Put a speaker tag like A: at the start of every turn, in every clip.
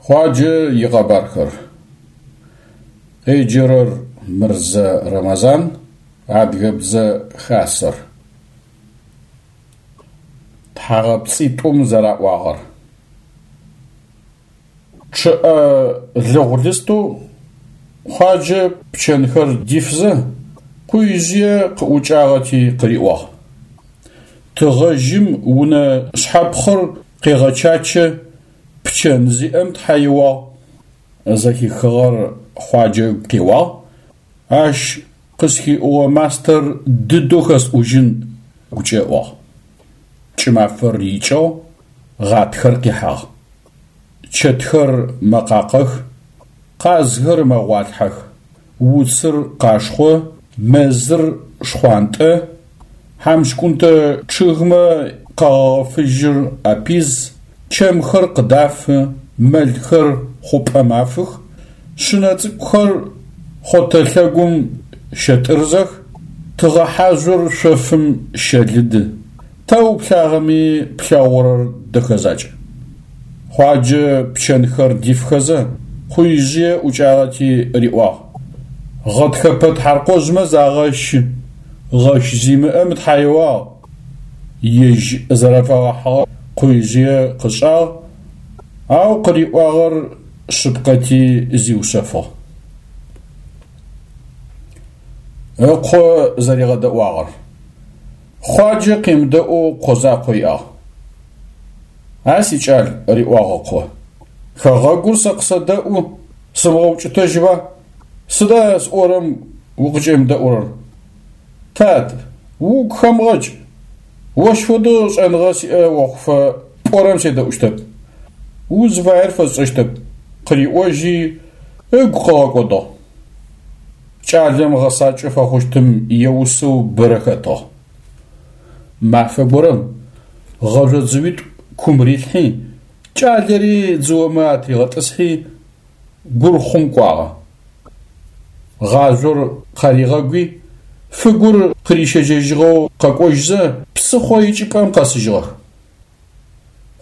A: Хъуаджэ икъэбархэр. Къеджэрэр Мырзэ Рэмэзан, Адыгэбзэ Хасэр. Тхьагъэпцӏитӏум зэраӏуагъэр. Чъыӏэ лыгъу-лыстэу Хъуаджэ пчэнхэр дифзэ, Къуижъые къыӏукӏагъэти къыриӏуагъ: Тыгъэжьым унэ шъхьэпхъыр къегъэчачэ, пчэн зиӏэм тхьэ иӏуагъ. Зэхихыгъэр Хъуаджэ ыгу къеуагъ, ащ къысхиӏугъэ мастэр дыдэу хэсӏужьын гукӏэ ыӏуагъ. Кӏымафэр икӏыгъ, гъатхэр къихьагъ. Чэтхэр мэкъакъэх, къазхэр мэгъуалъхьэх, уцыр къашхъо, мэзыр шхъуантӏэ, хьамщкӏунтэ чъыгмэ къэгъэгъэ фыжьыр апиз, чэмхэр къыдафы, мэлхэр хъупӏэм афых, шъынэ цӏыкӏухэр хъотэ лъэгум щэтӏырзэх, тыгъэхьажъор шъофым щэлыды. Тэ уплъагъэми плъэгъурэр дэхэ закӏ. Хъуаджэ пчэнхэр дифхэзэ, Къуижъые ӏукӏагъэти риӏуагъ: Гъэтхэпэ тхьаркъожъмэ загъэщы, гъэщ зимыӏэм тхьа иӏуагъ. Ежь зэрэфэгъэхьыгъэр Къуижъые къышӏагъ, ау къыриӏуагъэр шъыпкъэти зиушъэфыгъ. Ыкъо зэригъэдэӏуагъэр. Хъуаджэ къемыдэӏоу къо закъо иӏагъ. А сикӏал, риӏуагъ ыкъо, хэгъэгур сэ къысэдэӏу, сымыгъэукӏытэжьыба? Сыда сӏорэм укъыкӏемыдэӏурэр? Тат, угу хэмыгъэкӏ, ощ фэдэу шӏэныгъэ сиӏэ охъуфэ пӏорэм седэӏущтэп, узыфаер фэсшӏэщтэп, къыриӏожьи, ыгу къыгъэкӏодыгъ. Кӏалэм гъэсакӏэ фэхъущтым еусэу бэрэ хэтыгъ. Мафэ горэм гъэжъо дзыуитӏу кум рилъхьи, кӏалэри дзыомэ атригъэтӏысхьи, гурхъум кӏуагъэ. Гъажъор къаригъэгуи, фыгур къырищэжьэжьыгъэу къэкӏожьзэ, псыхъо икӏыпӏэм къэсыжьыгъэх.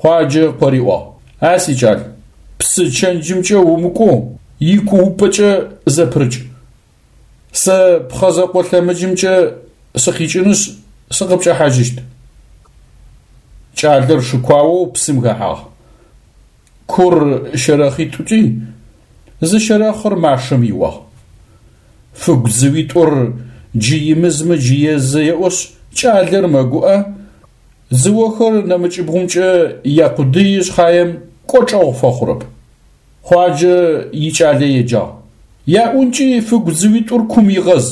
A: Хъуаджэ къыриӏуагъ: А сикӏал, псы чэнджымкӏэ умыкӏоу, икуупӏэкӏэ зэпырыкӏ. Сэ пхъэ зэкъо лъэмыджымкӏэ сыкъикӏынышъ, сыкъыпкӏэхьажьыщт. Кӏалэр шыкуаоу псым хэхьагъ. Кур щэрэхъитӏукӏи, зы щэрэхъыр машэм иуагъ. Фыгу дзыуитӏур джы имызмэ джы езы еӏошъ, кӏалэр мэгуӏэ, Дзыохэр нэмыкӏыбгъумкӏэ якъудыи шъхьаем кӏочӏэгъу фэхъурэп. Хъуаджэ икӏалэ еджагъ. Яӏункӏи фыгу дзыуитӏур кум игъэз.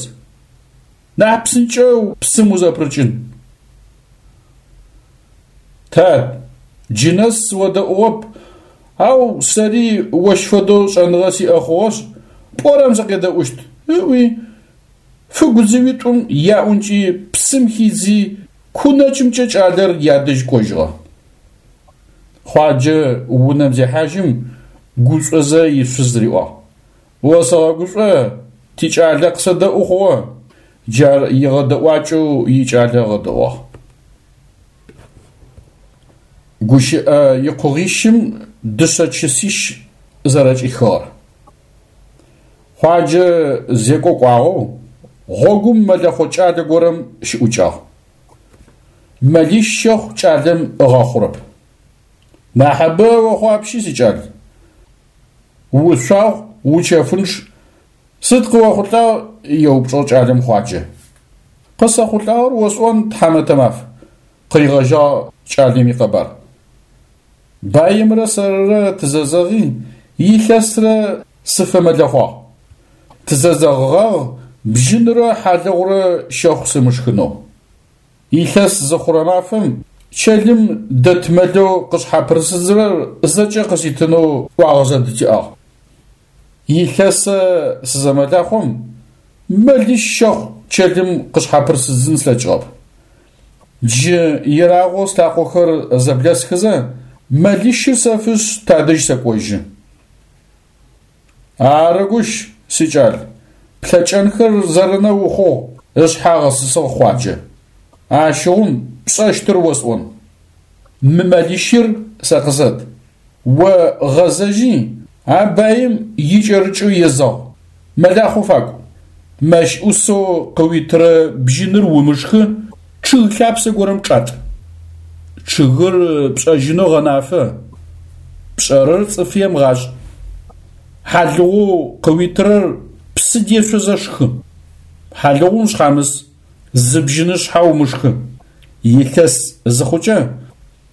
A: Нахь псынкӏэу псым узэпырыкӏын. Тат, джы нэс сыодэӏугъэп, ау сэри ощ фэдэу шӏэныгъэ сиӏэ хъугъэшъ, пӏорэм сыкъедэӏущт, ыӏуи, фыгу дзыуитӏум яӏункӏи псым хидзи, Ку нэкӏымкӏэ кӏалэр ядэжь кӏожьыгъэ. Хъуаджэ унэм зехьажьым, гушӏозэ ишъуз риӏуагъ: Осэгъэгушӏо, тикӏалэ къысэдэӏу хъугъэ. Джар игъэдэӏуакӏэу икӏалэ ыгъэдэӏуагъ. Гущыӏэ икъугъищым дышъэ чысищ зэрэкӏихыгъэр. Хъуаджэ зекӏо кӏуагъэу гъогум мэлэхъо кӏалэ горэм щыӏукӏагъ. Мэлищ щэхъу кӏалэм ыгъэхъурэп. Нахьыбэ охъуапщи, сикӏал. Ушъуагъу, учэфынчъ, сыд къыохъулӏагъ? еупчӏыгъ кӏалэм Хъуаджэ. Къысэхъулӏагъэр осӏон, тхьамэтэ маф, къыригъэжьагъ кӏалэм икъэбар. Баимрэ сэрырэ тызэзэгъи, илъэсрэ сыфэмэлэхъуагъ. Тызэзэгъыгъагъ бжьынрэ хьалыгъурэ щэхъу сымышхынэу. Илъэс зыхъурэ мафэм чэлым дэт мэлэу къышъхьапырысыдзырэр зэкӏэ къыситынэу ӏуагъэ зэдытиӏагъ. Илъэсэ сызэмэлахъом, мэлищ щэхъу чэлым къышъхьапырысыдзын слъэкӏыгъэп. Джы ерагъэу слъакъохэр зэблэсхызэ, мэлищыр сэфышъ тадэжь сэкӏожьы. Ары гущ, сикӏал, плъэкӏэнхэр зэрынэ ухъугъ, ышъхьэ ыгъэсысыгъ Хъуаджэ. Ащыгъум пшӏэщтыр осӏон. Мы мэлищыр сэ къысэт. О гъэзэжьи. А баим икӏэрыкӏэу езэгъ, мэлахъо факӏу. Мэщ ӏусэу къыуитырэ бжьыныр умышхы, чъыг лъапсэ горэм чӏатӏ. Чъыгыр пшӏэжьынэу гъэнафэ, пшӏэрэр цӏыф емыгъашӏ. Хьалыгъоу къыуитырэр псы дешъозэ шхы. Хьалыгъум шъхьамыс, зы бжьынышъхьэ умышхы. Илъэс зыхъукӏэ,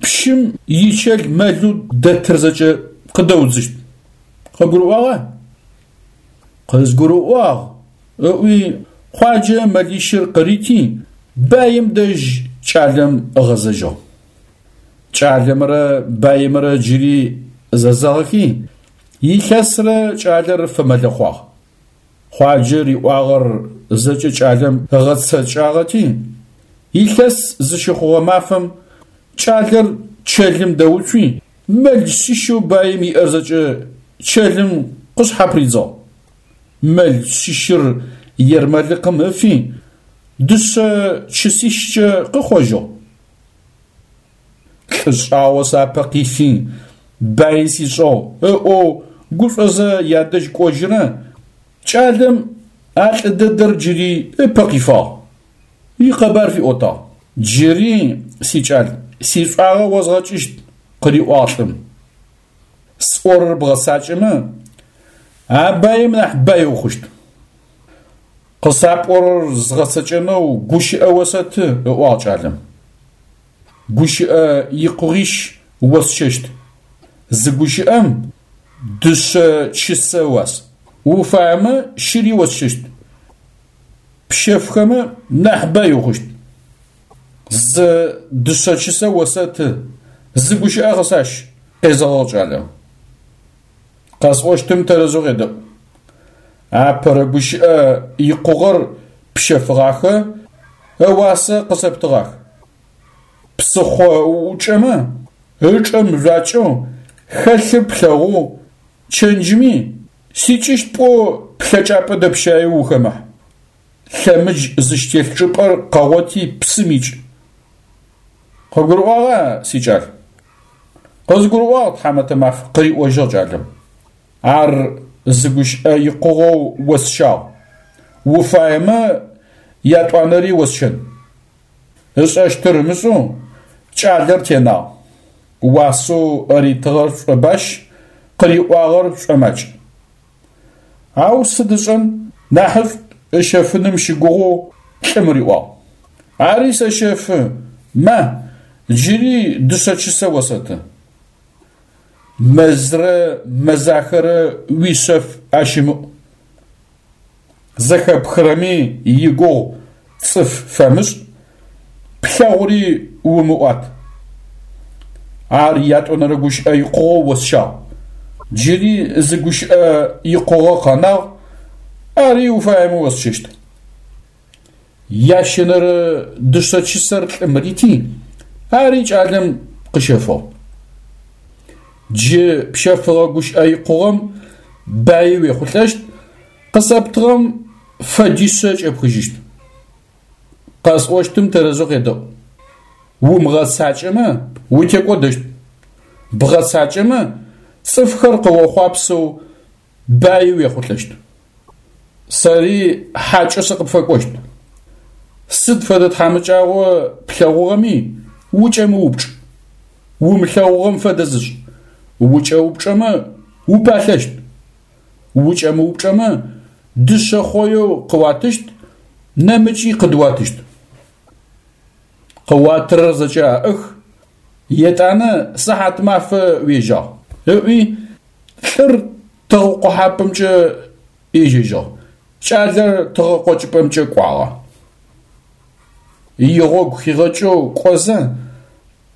A: пщым ичэл мэлэу дэтыр зэкӏэ къыдэудзыщт. Къыбгурыӏуагъа? Къызгурыӏуагъ, ыӏуи Хъуаджэ мэлищыр къырити, баим дэжь кӏалэм ыгъэзэжьыгъ. Кӏалэмрэ баимрэ джыри зэзэгъыхи, илъэсрэ кӏалэр фэмэлэхъуагъ. Хъуаджэ риӏуагъэр зэкӏэ кӏалэм ыгъэцэкӏагъэти, илъэс зыщыхъугъэ мафэм кӏалэр чэлым дэуцуи, мэл шъищэу баим иӏэр зэкӏэ чэлым къышъхьапридзыгъ. Мэл шъищыр ермэлыкъым ыфи, дышъэ чысищкӏэ къыхъожьыгъ. Лӏы шӏагъо сапэ къифи, баи сишӏыгъ ыӏоу гушӏозэ ядэжь кӏожьырэ кӏалэм а лӏы дэдэр джыри ыпэ къифагъ, икъэбар фиӏотагъ. Джыри, сикӏал, сишӏуагъэ озгъэкӏыщт, къыриӏуагъ лӏым. Сӏорэр бгъэцакӏэмэ, а баим нахь бай ухъущт. Къысапӏорэр згъэцэкӏэнэу гущыӏэ осэты, ыӏуагъ кӏалэм. Гущыӏэ икъугъищ осщэщт. Зы гущыӏэм дышъэ чысэ ыуас. Уфаемэ щыри осщэщт. Пщэфхэмэ нахь бай ухъущт. Зы дышъэ чысэ осэты, зы гущыӏэ къысащ, къезэгъыгъ кӏалэм. Къэсӏощтым тэрэзэу къедэӏу. Апэрэ гущыӏэ икъугъэр пщэфыгъахэ, ыуасэ къысэптыгъах. Псыхъо уӏукӏэмэ, ычӏэ мыжъуакӏэу, хэлъыр плъэгъоу, чэнджыми, сикӏыщт пӏоу плъэкӏапӏэ дэпщаеу ухэмыхь. Лъэмыдж зыщтелъ чӏыпӏэр къэгъоти псым икӏ. Къыбгурыӏуагъа, сикӏал? Къызгурыӏуагъ, тхьамэтэ маф, къыриӏожьыгъ кӏалэм. Ар зы гущыӏэ икъугъэу осщагъ. Уфаемэ, ятӏуанэри осщэн. Ышӏэщтыр ымышӏэу кӏалэр тенагъ. Уасэу ритыгъэр шӏобащ, къыриӏуагъэр шӏомакӏ. Ау сыд ышӏэн, нахьышӏу ыщэфыным щыгугъэу лӏым риӏуагъ. Ари сэщэфы, ма, джыри дышъэ чысэ осэты. Мэзрэ мэзахэрэ уишъэф ащымыӏу. Зэхэпхырэми игугъу цӏыф фэмышӏ, плъэгъури умыӏуат. Ар ятӏонэрэ гущыӏэ икъугъэу осщагъ. Джыри зы гущыӏэ икъугъэ къэнагъ, ари уфаемэ осщэщт. Ящэнэрэ дышъэ чысэр лӏым рити, ари кӏалэм къыщэфыгъ. Джы пщэфыгъэ гущыӏэ икъугъэм баи уехъулӏэщт, къысэптыгъэм фэдишъэ кӏэпхыжьыщт. Къэсӏощтым тэрэзэу къедэӏу. Умыгъэцакӏэмэ, утекӏодэщт. Бгъэцакӏэмэ, цӏыфхэр къыохъуапсэу баи уехъулӏэщт. Сэри хьакӏэу сыкъыпфэкӏощт. Сыд фэдэ тхьамыкӏагъо плъэгъугъэми, укӏэмыупчӏ. Умылъэгъугъэм фэдэ зышӏ. Укӏэупчӏэмэ, упалъэщт. Укӏэмыупчӏэмэ, дышъэ хъоеу къыуатыщт, нэмыкӏи къыдыуатыщт. Къыуатырэр зэкӏэ аӏых, етӏанэ сыхьатмафэ уежьагъ, ыӏуи, лӏыр тыгъэкъохьапӏэмкӏэ ежьэжьыгъ, кӏалэр тыгъэкъокӏыпӏэмкӏэ кӏуагъэ. Игъогу хигъэкӏэу кӏозэ,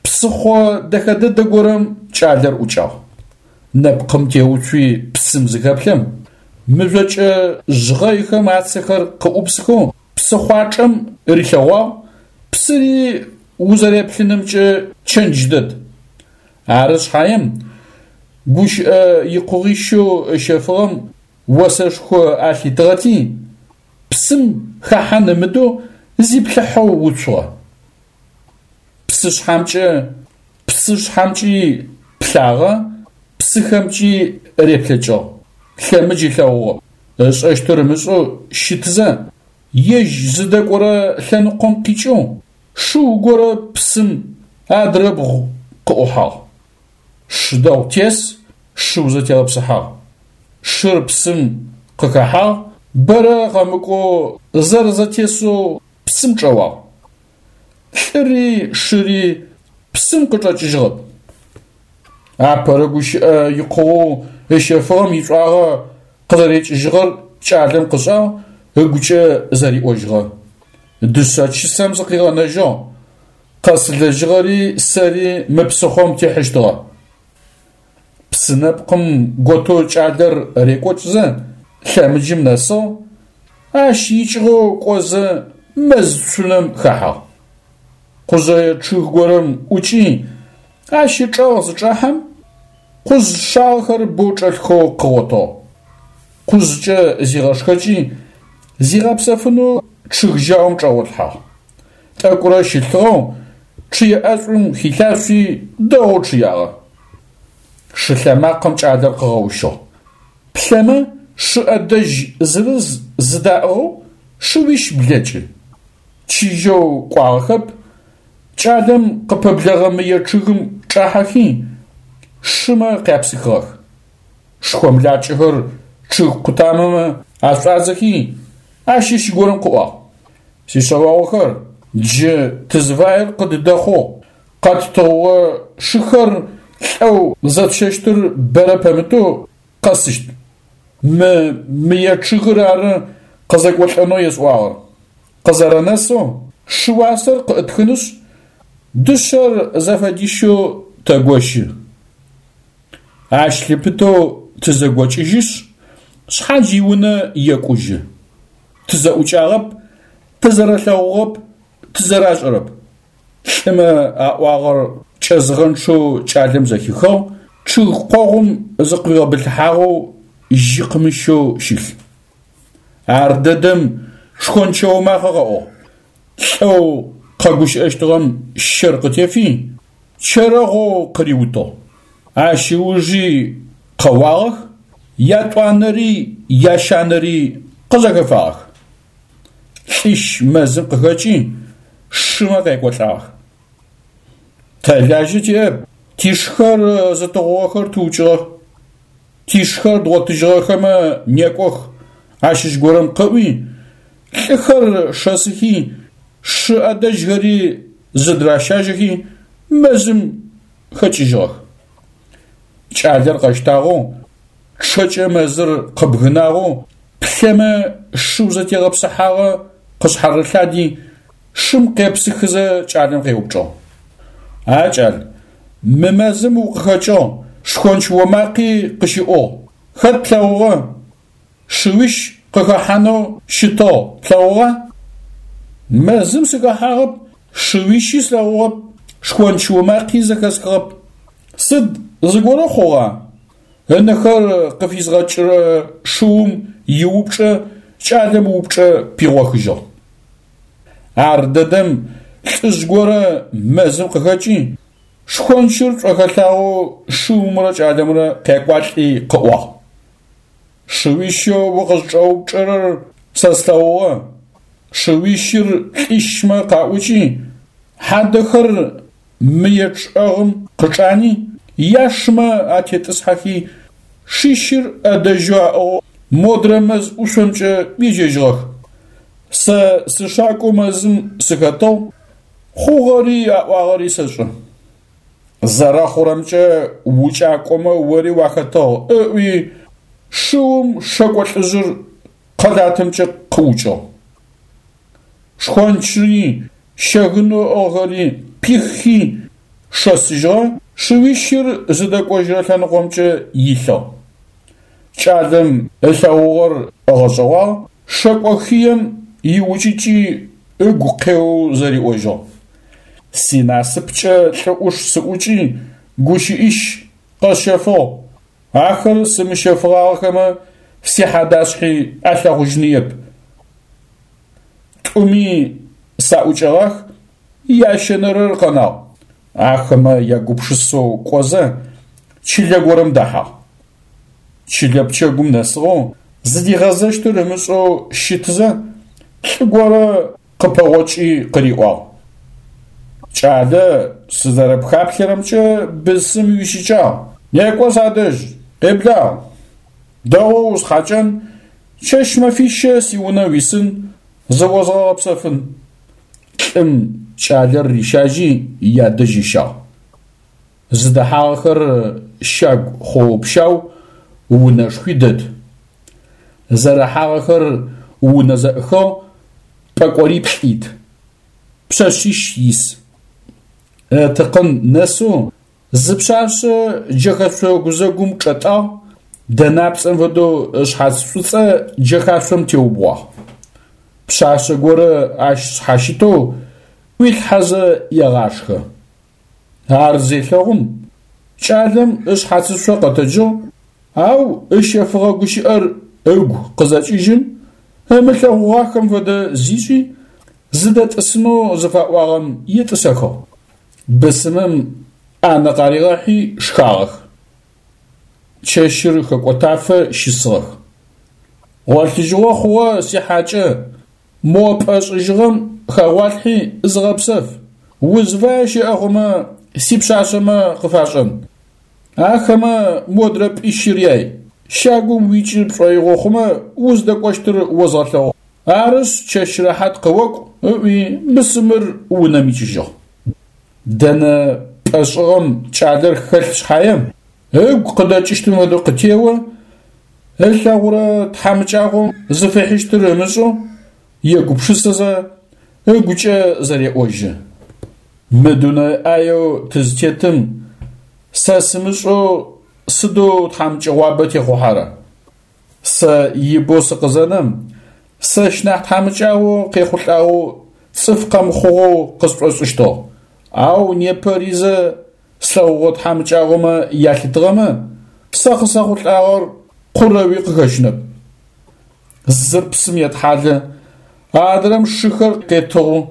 A: псыхъо дэхэ дэдэ горэм кӏалэр ӏукӏагъ. Нэпкъым теуцуи псым зыхэплъэм, мыжъокӏэ жъгъэйхэм ацэхэр къыӏупсхэу псыхъуачӏэм рилъэгъуагъ, псыри узэреплъынымкӏэ чэндж дэд. Ары шъхьаем, гущыӏэ икъугъищэу ыщэфыгъэм осэшхо алъитыгъэти, псым хэхьан ымыдэу зиплъыхьэу уцугъэ. Псышъхьэмкӏэ, псышъхьэмкӏи плъагъэ. псыхэмкӏи реплъэкӏыгъ, лъэмыдж ылъэгъугъэп. Ышӏэщтыр ымышӏэу щытызэ, ежь зыдэкӏорэ лъэныкъом къикӏэу шыу горэ псым адрэбгъу къыӏухьагъ. Шы дэгъу тес, шыу зэтегъэпсыхьагъ. Шыр псым къыхэхьагъ, бэрэ къэмыкӏоу зэрэзэтесэу псым чӏэуагъ. Лӏыри шыри псым къычӏэкӏыжьыгъэп. Апэрэ гущыӏэ икъугъэу ыщэфыгъэм ишӏуагъэ къызэрекӏыжьыгъэр кӏалэм къышӏагъ, ыгукӏэ зэриӏожьыгъэ. Дышъэ чысэм сыкъигъэнэжьыгъ, къэсылэжьыгъэри сэри мы псыхъом тихьыщтыгъэ. Псы нэпкъым готэу кӏалэр рекӏокӏзэ, лъэмыджым нэсыгъ, ащ икӏыгъэу кӏозэ мэз цунэм хэхьагъ. Къужъэе чъыг горэм ӏукӏи, ащ ычӏэгъ зычӏахьэм, къужъ шагъэхэр бэу чӏэлъхэу къыгъотыгъ. Къужъкӏэ зигъэшхэкӏи, зигъэпсэфынэу чъыг жьаум чӏэгъолъхьагъ. Тӏэкӏурэ щылъыгъэу, чъые ӏэшӏум хилъашъуи, дэгъоу чъыягъэ. Шы лъэмакъэм кӏалэр къыгъэущыгъ. Плъэмэ, шы ӏэдэжь зырыз зыдаӏыгъэу шыуищ блэкӏы. Чыжьэу кӏуагъэхэп, кӏалэм къыпэблэгъэ мые чъыгым чӏахьэхи, шымэ къяпсыхыгъэх. Шхомлакӏэхэр чъыг къутамэмэ ашӏуадзэхи, ащыщ горэм къыӏуагъ. Сишъэогъухэр, джы тызыфаер къыддэхъугъ, къэттыгъугъэ шыхэр лӏэу зэтщэщтыр бэрэ пэмытэу къэсыщт. Мы мые чъыгыр ары къызэкӏолӏэнэу есӏуагъэр. Къызэрэнэсэу шы уасэр къыӏытхынышъ, дышъэр зэфэдищэу тэгощы. Ащ лъыпытэу тызэгокӏыжьышъ, шъхьадж иунэ екӏужьы. Тызэӏукӏагъэп, тызэрэлъэгъугъэп, тызэрашӏэрэп. Лӏымэ аӏуагъэр кӏэзыгъэнчъэу кӏалэм зэхихыгъ, чъыг къогъум зыкъуигъэбылъыхьагъэу жьы къымыщэу щылъ. Ардэдэм шхончэо макъэ къэӏугъ. Лӏэу къэгущыӏэщтыгъэм щэр къытефи, чэрэгъоу къыриутыгъ. Ащ ыужи къэуагъэх, ятӏуанэри ящанэри къызэхэфагъэх. Лӏищ мэзым къыхэкӏи, шымэ къекӏолӏагъэх. Тэ лажьэ тиӏэп, тишхэр зытыгъугъэхэр тыукӏыгъэх. Тишхэр дгъотыжьыгъэхэмэ некӏох, ащыщ горэм къыӏуи, лӏыхэр шэсыхи, шы ӏэдэжьхэри зыдыращажьэхи, мэзым хэкӏыжьыгъэх. Кӏалэр къэщтагъэу, чъэкӏэ мэзыр къыбгынагъэу, плъэмэ шыу зэтегъэпсыхьагъэ къышъхьарылъади, шым къепсыхызэ кӏалэм къеупчӏыгъ. А кӏал, мы мэзым укъыхэкӏыгъ, шхонч омакъи къыщыӏугъ. Хэт плъэгъугъэ? Шыуищ къыхэхьанэу щытыгъ, плъэгъугъа? Мэзым сыхэхьагъэп, шыуищи слъэгъугъэп, шхонч омакъи зэхэсхыгъэп. Сыд, зыгорэ хъугъа? Ынэхэр къыфизгъэкӏырэ шыум иупчӏэ кӏалэм упчӏэ пигъохыжьыгъ. Ардэдэм лӏыжъ горэ мэзым къыхэкӏи, шхончыр шӏохэлъагъэу шыумрэ кӏалэмрэ къякӏуалӏи къыӏуагъ. Шыуищэу укъызкӏэупчӏэрэр сэ слъэгъугъэ. Шыуищыр лӏищмэ къаӏукӏи, хьадэхэр мые чӏэгъым къычӏани, яшымэ атетӏысхьэхи, шищыр ӏэдэжьэу аӏыгъэу модрэ мэз ӏушъомкӏэ ежьэжьыгъэх. Сэ сышакӏоу мэзым сыхэтыгъ, хъугъэри аӏуагъэри сэшӏэ. Зэрэхъурэмкӏэ укӏакӏомэ ори уахэтыгъ, ыӏуи, шыум шэкӏо лӏыжъыр къэлатымкӏэ къыукӏыгъ. Шхончри, щэгынэу ыӏыгъхэри пиххи, шэсыжьыгъэ, шыуищыр зыдэкӏожьырэ лъэныкъомкӏэ илъыгъ. Кӏалэм ылъэгъугъэр ыгъэшӏэгъуагъ, шэкӏо хыем иукӏыкӏи ыгу къеоу зэриӏожьыгъ. Синасыпкӏэ лӏы ӏуш сыӏукӏи, гущыӏищ къэсщэфыгъ, ахэр сымыщэфыгъагъэхэмэ, сихьадашъхьи алъэгъужьыныеп. Тӏуми саӏукӏэгъах, ящэнэрэр къэнагъ. Ахэмэ ягупшысэу кӏозэ. чылэ горэм дэхьагъ. Чылэ пчэгум нэсыгъэу, зыдигъэзэщтыр ымышӏэу щытызэ, лӏы горэ къыпэгъокӏи къыриӏуагъ: Кӏалэ, сызэрэпхаплъэрэмкӏэ бысым уищыкӏагъ, некӏо садэжь, къеблагъ. Дэгъоу усхьакӏэн, чэщ-мэфищэ сиунэ уисын, зыозгъэгъэпсэфын. Лӏым кӏалэр рищажьи ядэжь ыщагъ. Зыдэхьагъэхэр щагу хъоо-пщау, унэшхуи дэт. Зэрыхьагъэхэр унэ зэӏыхыгъ, пӏэкӏориплӏ ит. Пшъэшъищ ис. Ытыкъын нэсэу зы пшъашъэ джэхэшъо гузэгум чӏэтӏагъ, дэнапцӏэм фэдэу ышъхьац шӏуцӏэ джэхашъом теубгъуагъ. Пшъашъэ горэ ащ шъхьащытэу ӏуилъхьэзэ егъашхэ. Ар зелъэгъум, кӏалэм ышъхьацышъо къэтэджыгъ, ау ыщэфыгъэ гущыӏэр ыгу къызэкӏыжьым, ымылъэгъугъахэм фэдэ зишӏи, зыдэтӏысынэу зыфаӏуагъэм етӏысэхыгъ. Бысымым ӏанэ къаригъэхьи шхагъэх. Чэщыр хэкӏотафэ щысыгъэх. Гъолъыжьыгъо хъугъэ, сихьакӏэ, мо пӏэ шӏыжьыгъэм хэгъуалъхьи зыгъэпсэф, узфае щыӏэ хъумэ, сипшъашъэмэ къыфашӏэн. Ахэмэ модрэ пӏищыр яй, щагум уикӏы пшӏоигъо хъумэ, уздэкӏощтыр озгъэлъэгъу. Арышъ, чэщ рэхьат къыокӏу, ыӏуи, бысымыр унэм икӏыжьыгъ. Дэнэ пӏэ шӏыгъэм кӏалэр хэлъ шъхьаем, ыгу къыдэкӏыщтым фэдэу къытео, ылъэгъурэ тхьамыкӏагъом зыфихьыщтыр ымышӏэу, егупшысэзэ, ыгукӏэ зэреӏожьы. Мы дунэе ӏаеу тызтетым сэ сымышӏэу сыдэу тхьамыкӏэгъуабэ техъухьэрэ? Сэ ибэу сыкъызэнэм, сэщ нахь тхьамыкӏагъо къехъулӏагъэу цӏыф къэмыхъугъэу къысшӏошӏыщтыгъ, ау непэ ризэ слъэгъугъэ тхьамыкӏагъомэ ялъытыгъэмэ, сэ къысэхъулӏагъэр къурэуи къыхэщынэп. Зыр псым етхьалэ, адрэм шыхэр къетыгъу,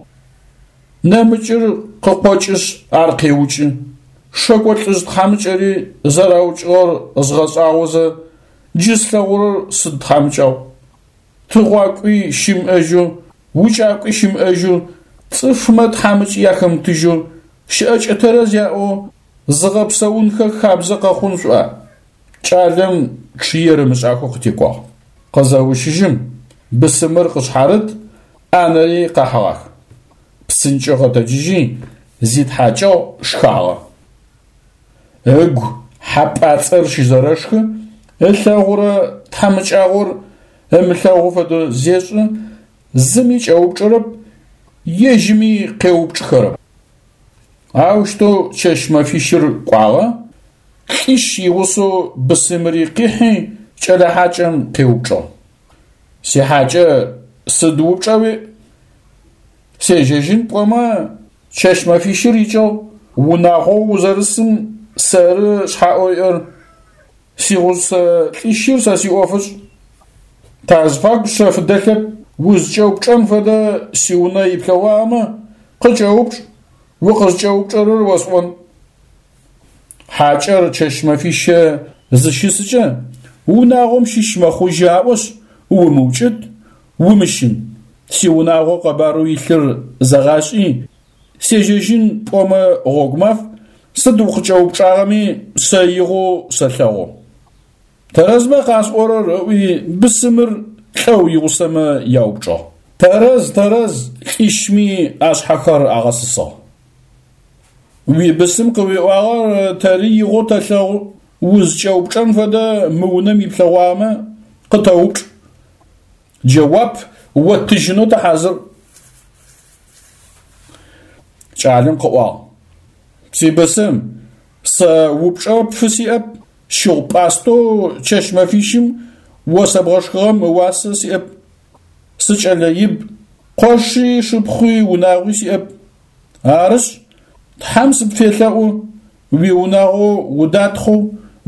A: нэмыкӏыр къыкъокӏышъ ар къеукӏы. Шэкӏо лӏыжъ тхьамыкӏэри зэраукӏыгъэр згъэшӏагъозэ, джы слъэгъурэр сыд тхьамыкӏагъу? Тыгъуакӏуи щымыӏэжьэу, укӏакӏуи щымыӏэжьэу, цӏыфмэ тхьамыкӏи ахэмытыжьэу, щыӏэкӏэ тэрэз яӏэу зыгъэпсэунхэ хабзэ къэхъун шъуӏуа? Кӏалэм чъыер ымышӏахэу къытекӏуагъ. Къызэущыжьым, бысымыр къышъхьарыт, ӏанэри къахьыгъах. Псынкӏэу къэтэджыжьи, зитхьакӏыгъ, шхагъэ. Ыгу хьэпӏацӏэр щызэрэшхы, ылъэгъурэ тхьамыкӏагъор ымылъэгъу фэдэу зешӏы, зыми кӏэупчӏэрэп, ежьыми къеупчӏыхэрэп. Аущтэу чэщ-мэфищыр кӏуагъэ, лӏищ игъусэу бысымыри къихьи, кӏэлэ хьакӏэм къеупчӏыгъ. Сихьакӏэ, сыд упчӏа уиӏ? Сежьэжьын пӏомэ, чэщ-мэфищыр икӏыгъ, унагъоу узэрысым сэры шъхьаӏэу иӏэр, сигъусэ лӏищыр сэ сиӏофышӏ. Тазыфагу шъэф дэлъэп, узкӏэупчӏэн фэдэ сиунэ иплъэгъуагъэмэ, къыкӏэупчӏ, укъызкӏэупчӏэрэр осӏон. Хьакӏэр чэщ-мэфищэ зыщысыкӏэ, унагъом щыщ мэхъужьы аӏошъ, умыукӏыт, умыщын. Сиунагъо къэбарэу илъыр зэгъашӏи, сежьэжьын пӏомэ гъогу маф, сыд укъыкӏэупчӏагъэми сэ игъоу сэлъэгъу. Тэрэзмэ къасӏорэр, ыӏуи, бысымыр лӏэу игъусэмэ яупчӏыгъ. Тэрэз, тэрэз, лӏищми ашъхьэхэр агъэсысыгъ. Уибысым къыуиӏуагъэр тэри игъоу тэлъэгъу, узкӏэупчӏэн фэдэ мы унэм иплъэгъуагъэмэ, къытэупчӏ. Джэуап оттыжьынэу тыхьазыр. Кӏалэм къыӏуагъ: Сибысым, сэ упчӏэ пфысиӏэп, щыгъу-пӏастэу чэщ-мэфищым о сэбгъэшхыгъэм ыуасэ сиӏэп. Сыкӏэлэ иб, къоши, шыпхъуи, унагъуи сиӏэп. Арышъ, Тхьэм сыпфелъэӏу, уиунагъо удатхъэу,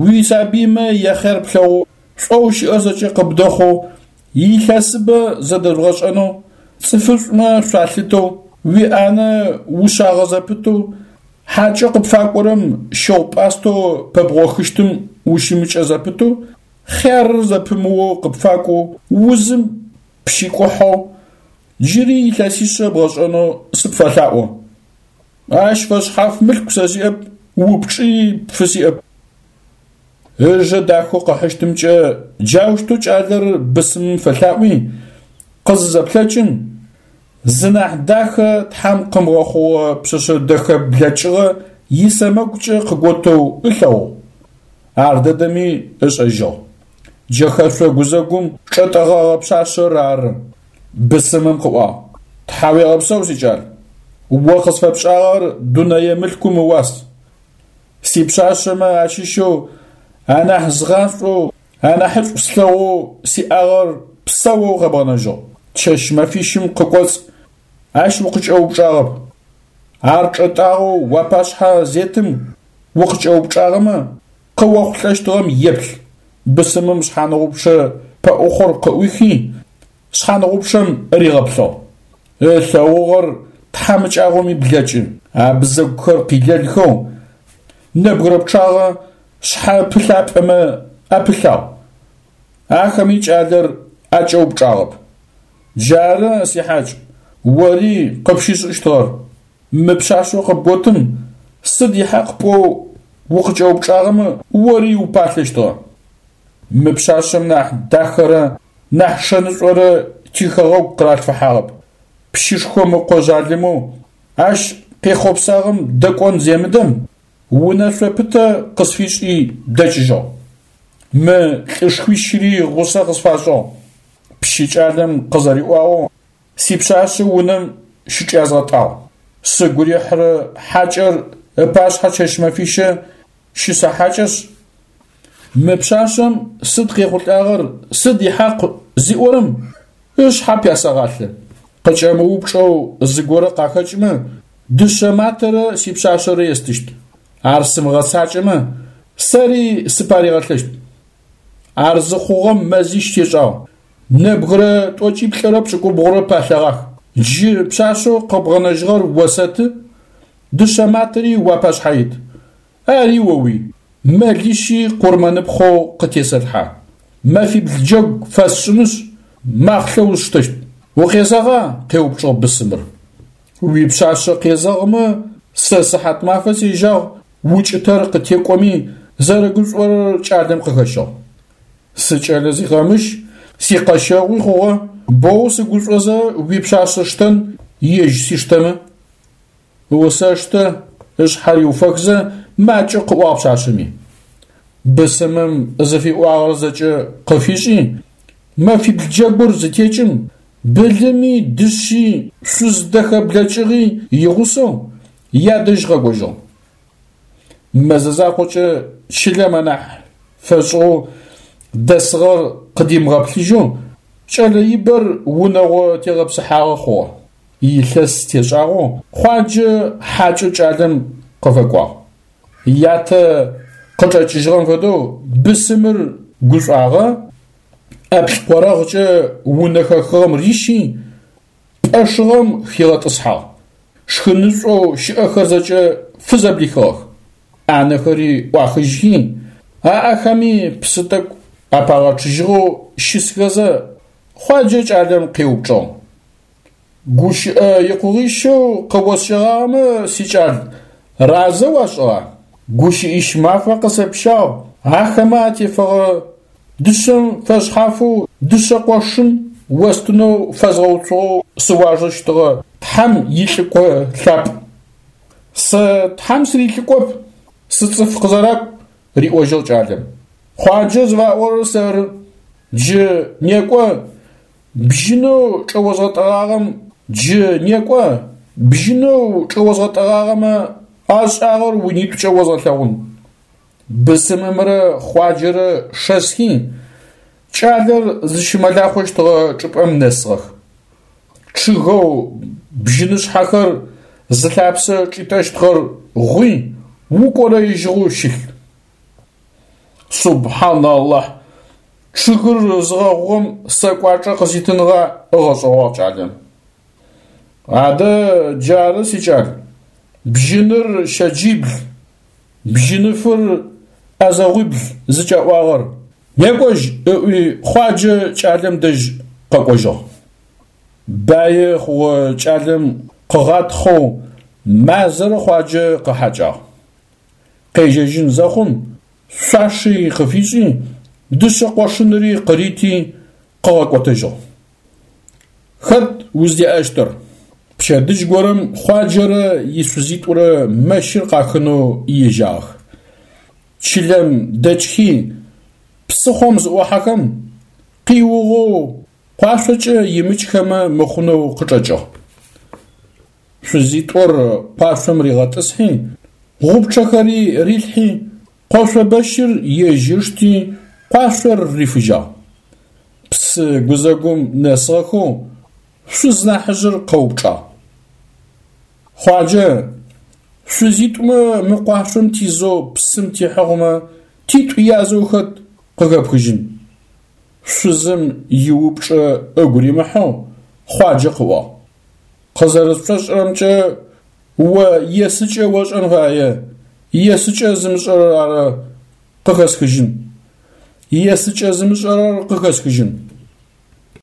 A: уисабыймэ яхъяр плъэгъоу, шӏоу щыӏэр зэкӏэ къыбдэхъоу, илъэсыбэ зэдэжъугъэшӏэнэу, цӏыфышӏумэ шъуалъытэу, уиӏанэ ушъагъэ зэпытэу, Хьакӏэ къыпфакӏорэм щыгъу-пӏастэу пэбгъохыщтым ущымыкӏэ зэпытэу, хъярыр зэпымыоу къыпфакӏоу, узым пщикӏухьэу, джыри илъэсишъэ бгъэшӏэнэу сыпфэлъаӏо. Ащ фэшъхьаф мылъку сэ сиӏэп, упчӏи пфысиӏэп. Ыжэ дахэу къыхьыщтымкӏэ джаущтэу кӏалэр бысымым фэлъаӏуи, къызызэплъэкӏым, зынахь дахэ Тхьэм къымыгъэхъугъэ пшъэшъэ дэхэ блэкӏыгъэ исэмэгукӏэ къыготэу ылъэгъугъ. Ар дэдэми ышӏэжьыгъ. Джэхэшъо гузэгум чӏэтӏэгъэгъэ пшъашъэр ары. Бысымым къыӏуагъ: Тхьауегъэпсэу, сикӏал! О къысфэпшӏагъэр дунэе мылъкум ыуас. Сипшъашъэмэ ащыщэу анахь згъашӏоу, анахьышӏу слъэгъоу сиӏагъэр псэоу къэбгъэнэжьыгъ. Чэщ-мэфищым къыкӏоцӏ ащ укъыкӏэупчӏагъэп. Ар чӏэтӏагъэу уапашъхьэ зетым укъыкӏэупчӏагъэмэ, къыохъулӏэщтыгъэм еплъ. Бысымым шъхьаныгъупчъэ пэӏухъор къыӏуихи, шъхьаныгъупчъэм ригъэплъыгъ. Ылъэгъугъэр тхьамыкӏагъоми блэкӏы, абзэгухэр къилэлхэу, нэбгырэ пчъагъэ шъхьэ пылъапӏэмэ апылъагъ. Ахэми кӏалэр акӏэупчӏагъэп. Джары, сихьакӏ, ори къыпщышӏыщтыгъэр. Мы пшъашъэу къыбготым сыд ихьакъ пӏоу укъыкӏэупчӏагъэмэ, ори упалъэщтыгъэ. Мы пшъашъэм нахь дахэрэ нахь шэнышӏорэ тихэгъэгу къыралъфыхьагъэп. Пщышхом ыкъо жъалымэу ащ къехъопсагъэм дэкӏон земыдэм, унэшъо пытэ къысфишӏи дэкӏыжьыгъ. Мы лӏышхуищри гъусэ къысфашӏыгъ. Пщы кӏалэм къызэриӏуагъэу, сипшъашъэ унэм щычӏязгъэтӏагъ. Сыгу рихьырэ хьакӏэр ыпашъхьэ чэщ-мэфищэ щысэхьакӏэшъ, мы пшъашъэм сыд къехъулӏагъэр, сыд ихьакъ зиӏорэм ышъхьэ пясэгъалъэ. Къыкӏэмыупчӏэу зыгорэ къахэкӏмэ, дышъэ матэрэ сипшъашъэрэ естыщт. Ар сымыгъэцакӏэмэ, сэри сыпаригъэлъэщт. Ар зыхъугъэм мэзищ тешӏагъ. Нэбгырэ тӏокӏиплӏырэ пшӏыкӏубгъурэ палъэгъах. Джы пшъашъэу къэбгъэнэжьыгъэр осэты, дышъэ матэри уапашъхьэ ит. Ари оуий, мэлищи къурмэныпхъэу къытесэлъхьэ. Мэфибл джэгу фэсшӏынышъ, махълъэ усштэщт. Укъезэгъа? къеупчӏыгъ бысымыр. Уипшъашъэ къезэгъымэ, сэ сыхьатмафэ сежьагъ, укӏытэр къытекӏоми, зэрэгушӏорэр кӏалэм къыхэщыгъ. Сыкӏэлэ зикъэмыщ, сикъэщэгъуи хъугъэ, боу сыгушӏозэ уипшъашъэ сштэн, ежь сиштэмэ. Осэштэ, ышъхьэ риуфэхзэ, макӏэ къыӏуагъ пшъашъэми. Бысымым зыфиӏуагъэр зэкӏэ къыфишӏи, мэфибл джэгур зытекӏым, былыми, дышъи, шъуз дэхэ блэкӏыгъи игъусэу ядэжь къэкӏожьыгъ. Мэзэ закъокӏэ чылэм анахь фэшӏыгъэу дэсыгъэр къыдимыгъэплъыжьэу, кӏэлэ ибэр унэгъо тегъэпсыхьагъэ хъугъэ. Илъэс тешӏагъэу Хъуаджэ хьакӏэу кӏалэм къыфэкӏуагъ. Ятэ къычӏэкӏыжьыгъэм фэдэу бысымыр гушӏуагъэ, ӏэплӏкъорэгъкӏэ унэ хэхыгъэм рищи, пӏэ шыгъэм хигъэтӏысхьагъ. Шхынышӏоу щыӏэхэр зэкӏэ фызэблихыгъэх. ӏанэхэри ӏуахыжьхи, аӏэхэми псы тӏэкӏу апагъэчъыжьыгъэу щысхэзэ, Хъуаджэ кӏалэм къеупчӏыгъ. Гущыӏэ икъугъищэу къыосщэгъагъэмэ, сикӏал, разэ уашӏыгъа? Гущыӏищ мафэ къысэпщагъ, ахэмэ атефэгъэ дышъэм фэшъхьафэу дышъэ къошын остынэу фэзгъэуцугъэу сыуажэщтыгъэ Тхьэм илӏыкӏо лъапӏ. Сэ Тхьэм сырилӏыкӏоп, сыцӏыф къызэракӏу, риӏожьыгъ кӏалэм. Хъуаджэ зыфаӏорэр сэры. Джы некӏо, Бжьынэу чӏэозгъэтӏэгъагъэм джы некӏо, бжьынэу чӏэозгъэтӏэгъагъэмэ ашӏагъэр унитӏукӏэ озгъэлъэгъун. Бысымымрэ Хъуаджэрэ шэсхи, кӏалэр зыщымэлахъощтыгъэ чӏыпӏэм нэсыгъэх. Чъыгэу бжьынышъхьэхэр зылъапсэ чӏитӏэщтыгъэр гъуи, укӏорэижьыгъэу щылъ. Субхьан Алахь, чъыгыр зыгъэгъугъэм сэ кӏуачӏэ къыситыныгъа, ыгъэшӏэгъуагъ кӏалэм. Адэ джары, сикӏал. Бжьыныр щэджибл, бжьыныфыр ӏэзэгъуибл зыкӏаӏуагъэр, некӏожь, ыӏуи Хъуаджэ кӏалэм дэжь къэкӏожьыгъ. Баи хъугъэ кӏалэм къыгъатхъэу мазэрэ Хъуаджэ къыхьакӏагъ. Къежьэжьын зэхъум шъуаши къыфишӏи, дышъэ къошынри къырити къыгъэкӏотэжьыгъ. Хэт уздеӏэщтыр? Пчэдыжь горэм Хъуаджэрэ ишъузитӏурэ мэщыр къахынэу ежьагъэх. Чылэм дэкӏхи, псыхъом зыӏохьэхэм, къиугъэу къуашъокӏэ имыкӏхэмэ мыхъунэу къычӏэкӏыгъ. Шъузитӏур къуашъом ригъэтӏысхьи, гъупчъэхэри рилъхьи, къошъо бэщыр ежь ышти, къуашъор рифыжьагъ. Псы гузэгум нэсыгъэхэу шъуз нахьыжъыр къэупчӏагъ. Хъуаджэ, шъузитӏумэ мы къуашъом тизэу псым тихьыгъэмэ, титӏу язэу хэт къыхэпхыжьын? Шъузым иупчӏэ ыгу римыхьэу Хъуаджэ къыӏуагъ. Къызэрысшӏошӏырэмкӏэ, о есыкӏэ ошӏэн фае, есыкӏэ зымышӏэрэр ары къыхэсхыжьын. Есыкӏэ зымышӏэрэр къыхэсхыжьын.